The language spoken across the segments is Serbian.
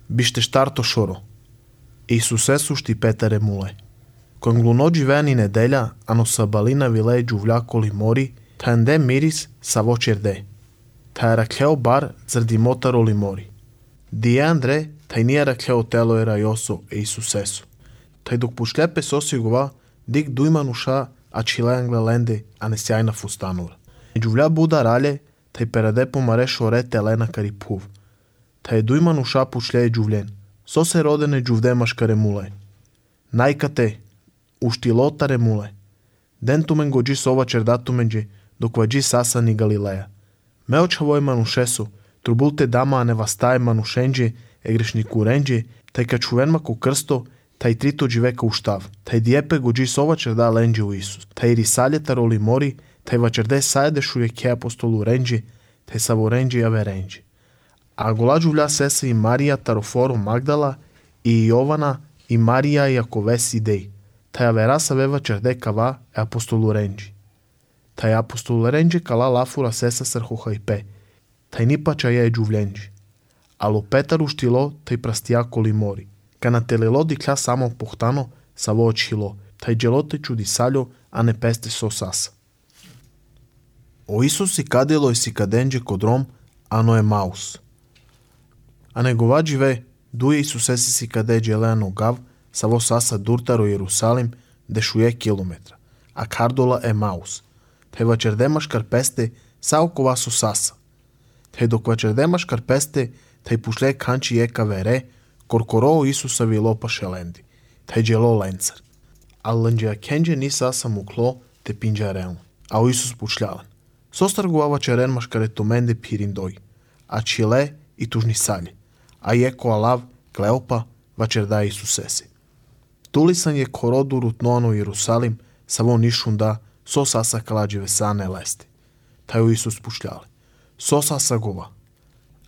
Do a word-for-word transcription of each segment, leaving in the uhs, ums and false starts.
Biște ștarto șoro. Исусесу шти Петаре муле. Кон глуноджи вени неделя, ано сабалина виле джувля коли мори, танде мирис саво черде. Та раклео бар заради мотаро ли мори. Дие Андре, тај ние раклео тело ера јосо е Исусесу. Тај док пушлепе сосигова, дик дујма нуша, а чилеангле ленде, а не сјајна фустанура. Джувля буда рале, тај пераде помаре шоре телена кари пув. Тај дујма нуша пушле джувлен. Со се родене джувдемаш каре муле. Најкате, уштилотаре муле. Ден тумен годжи сова чердатуменджи, докваджи саса ни Галилея. Меочавој манушесу, трубулте дама не вастае манушенджи, е грешнику ренджи, тај качувенма ко крсто, тај трито дживека уштав. Тај диепе годжи сова черда ленджи у Исус. Тај рисалјета роли мори, тај вачерде сајдешу е ке апостолу ренджи, тај саво ренджи аве ренджи. А гола джувля сеса и Марија Тарофоро Магдала и Јована и Марија Јаковес идеј. Тај авера савева черде кава е апостолу ренджи. Тај апостолу ренджи кала лафура сеса срхуха и пе. Тај нипача е джувленджи. Ало Петар уштило тај прастија коли мори. Кана телело дикля само похтано саво очило. Тај джелоте чудисалјо, а не песте со саса. О Исус си кадело и си каденджи кодром, ано е маус. А негова дживе, дуе Исусеси си каде джелеано гав, саво саса дуртаро Иерусалим, дешуе километра, а кардола е маус. Тај вачердемаш карпесте, сао кова со саса. Тај док вачердемаш карпесте, тај пушле канчи ека вере, коркоро Исуса вило пашеленди. Тај джело ленцар. А ланджеа кендже ни саса мукло, те пинджарелно. А о Исус пушлялен. Состаргува вачерен машкаретоменде пириндој, а чиле и тужни сали. А јеко алав, Клеопа, вачерда Исусеси. Тулисан е короду рутноано Иерусалим, саво нишунда, со саса каладживе сане лести. Тај Исус пушляле. Со саса гова.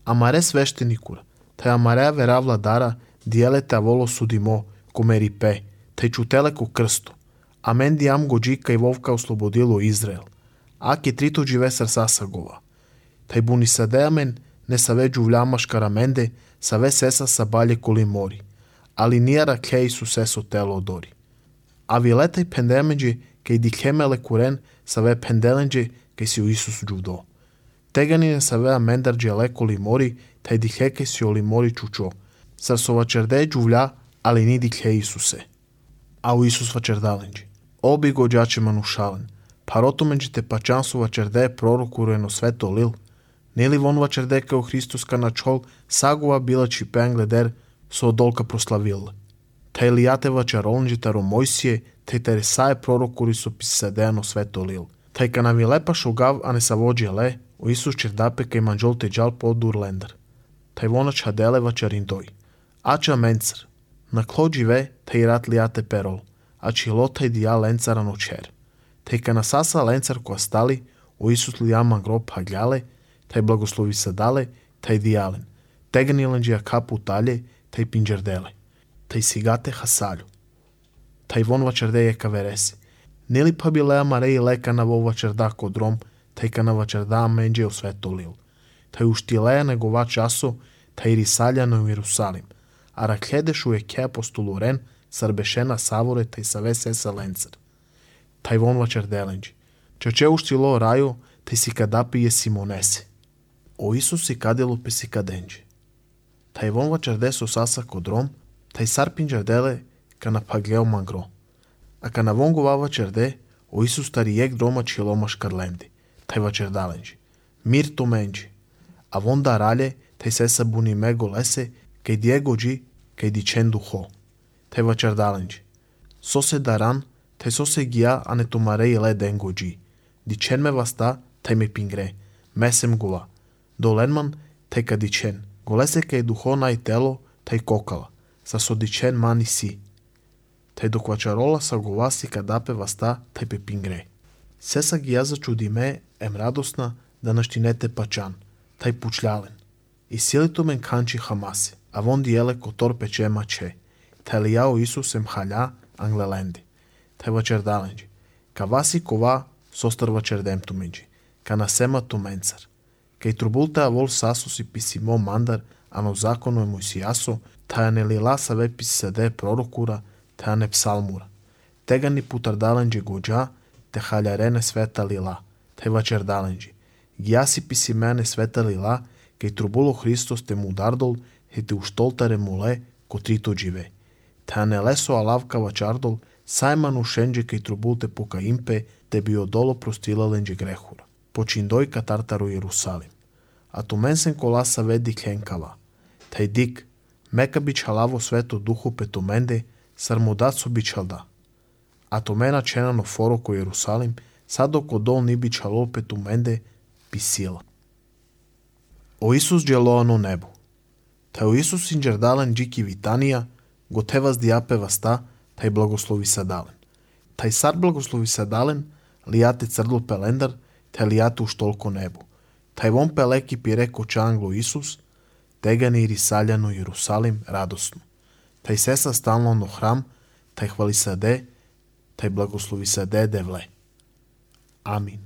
Амаре свештеникура, тај амареа веравла дара, диелете аволо судимо, комери пе, тај чутеле ко крсто. Амен диам годжи кај вовка ослободило Израел. Аки трито живе сар саса гова. Тај буни садеамен, не саве джувлямаш караменде, саве сеса сабале коли мори. Али нија ракле Исусесо тело дори. А вилетај пендемеджи, кај дикемеле курен, саве пенделенджи, кај си у Исус джувдо. Тегани не саве амендар джеле коли мори, тај дикле кај си оли мори чучо. Сар со вачерде джувля, али ни дикле Исусе. А у Исус вачердаленджи. Оби годжаче манушален. Паротоменджи те пачан со вачерде пророкуруено свето лил. Нели вон вачерде као Христос каначол, сагува била чипен гледер, со одолка прославил. Тај лијате вачаролнджи таро Мојсие, тај тересае пророкури со писедеано свето лил. Тај канавилепа шогав, а не саводжи ле, о Исус чердапе кај манджол теджал по дурлендер. Тај вона чаделе вачариндој. Ача менцар. На кло дживе, тај рат лијате перол, а чило тај дија ленцара ночер. Тај канасаса ленцар која стали, о Исус лијама гроб хагляле, тај благослови садале, тај дијален. Теганиленджија капу тале, тај пинджерделе. Тај сигате хасалю. Тај вон вачерде ека вереси. Нели па билеа Мареи лека на во вачерда кодром, тај ка на вачерда мендже о свето лил. Тај уштилеа негова часо, тај рисалја на Иерусалим. А ракледешу е ке апостолурен, сарбешена саворе тај саве сеса ленцар. Тај вон вачерделенджи. Чаче уштило рајо, тај си кадапи е Симонеси. О Исус си кадело пе си каденджи. Тај вон вачерде со саса кодром, тај сар пинджерделе ка на паглео мангро. А ка на вон гова вачерде, о Исус тари ек дрома чиломаш карленди. Тај вачердаленджи. Мир томенджи. А вон да рале, тај сеса буни мего лесе, кај диегоджи, кај дичен духо. Тај вачердаленджи. Со се даран, тај со се гија, а не томаре и ле ден годжи. Дичен ме васта, тај ме пингре. Месем гова. Доленман, тај ка дичен. Голесе кај духо нај тело, тај кокала. Са со дичен мани си. Тај доквачарола са гова си кадапе васта, тај пе пингре. Сеса ги ја зачудиме, ем радосна, да наштинете пачан. Тај пучлялен. И силито мен канчи хамаси, а вон диеле котор пече маче. Тај лијао Исус ем хаља, англеленди. Тај вачердаленджи. Каваси кова, состар вачердем туменджи. Ка насема туменцар. Кај трубулта авол сасус и писимо мандар, ано законо е Мојсијасо, таја не лила са ве писаде пророкура, таја не псалмура. Тега ни путардаленџи гоџа, те халјарене света лила, те вачердаленџи. Гјаси писи мене света лила, кај трубуло Христос те му дардол, и те уштолтаре муле, котрито дживе. Таја не лесо алавка вачардол, сајману шенџе кај трубулте пока импе, те би одоло простилаленџи грехура. Починдој катартаро Иерусалим. А ту менсен коласа веди хенкава. Тај дик, мека би чалаво свето духу пето менде, сармодацо би чалда. А то мена ченано форо ко Иерусалим, садо ко дол ни би чалол пето менде, би сила. О Исус джелоано небо. Тај о Исус инџердален джики витанија, го тевас диапе васта, тај благослови садален. Тај сар благослови садален, лијате црдл пелендар, тај лијате уштолко небо. Тај вон пелеки пире коча англо Исус, тега ни рисаљано Иерусалим радосно. Тај сеса стално на храм, тај хвали саде, тај благослови саде девле. Амин.